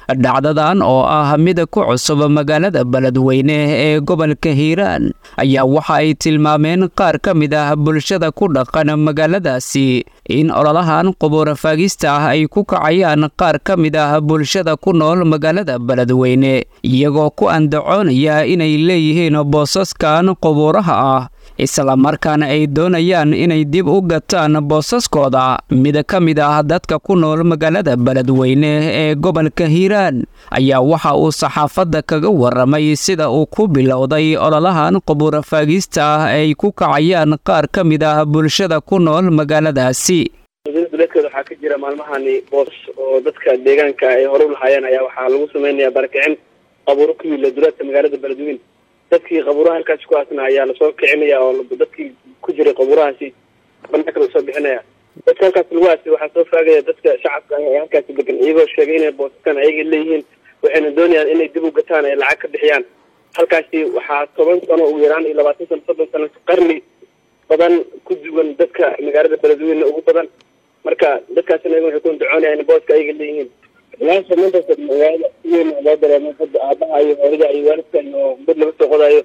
Dhacdadan oo ah mid ku cusub magaalada Beledweyne ee gobolka Hiiraan ayaa waxa ay tilmaameen qaar ka mid ah bulshada ku dhaqan magaaladaasi in ololahan qubuura faagista ah ay ku kacayaan qaar ka mid ah bulshada ku nool magaalada Beledweyne, iyagoo ku andacoonaya inay leeyihiin boosaskan qubuuraha ah, islamarkaana ay doonayaan inay dib u gataan boosaskooda. Mid ka mid ah dadka ku nool magaalada Beledweyne ee gobolka Hiiraan ayaa waxa uu saxaafadda kaga waramay sida uu ku bilowday ololahan qubuura faagista ah ay ku kacayaan qaar ka mid ah bulshada ku nool magaaladaasi. Duleedkeeda waxaa ka jira maalmahani boosas oo dadka deegaanka ay hore u lahaayeen ayaa waxaa lagu sameynaya barakicin qabuuro ku yiila duleedka magaalada Beledweyne. Dadkii qabuuraha halkaasi ku aasna ayaa lasoo kicinaya oo dadkii ku jiray qabuurahaasi banaanka lasoo bixinaya. Dadka halkaasi lagu aasay waxaa soo faagaya dadka shacabka ah ee halkaasi degan, iyagoo sheegay inay boosaskan ayaga leeyihiin, waxayna doonayaan inay dib u gataan ay lacag ka bixiyaan. Halkaasi waxaa 10 sano ugu yaraan iyo 20 sano, 30 sano, qarni badan ku duwan dadka magaalada Beledweyne ugu badan. Marka dadkaasina iyaga waxay ku andacoonayaan in booska ayaga leeyihiin. Ilaa maantaas magaalada si weyn loo dareemay hadda aabaha iyo hooyada iyo waalidka iyo mid laga soo qodaayo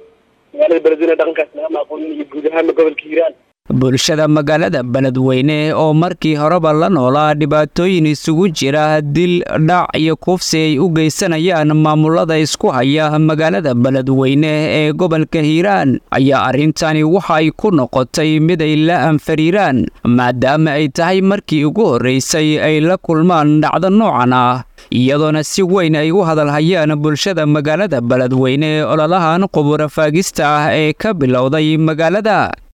magaalada Beledweyne dhaqankaas lagama aqoonin iyo guud ahaanba gobolka Hiiraan. Bulshada magaalada Beledweyne oo markii horeba la noolaa dhibaatooyin isugu jira dil, dhac iyo kufsi ay u geysanayaan maamulada isku haya magaalada Beledweyne ee gobolka Hiiraan ayaa arrintani waxa ay ku noqotay mid ay la anfariiraan, maadaama ay tahay markii ugu horreysay ay la kulmaan dhacdo noocan ah, iyadoona si weyn ay u hadalhayaan bulshada magaalada Beledweyne ololahan qubuura faagista ah ee ka bilowday magaalada.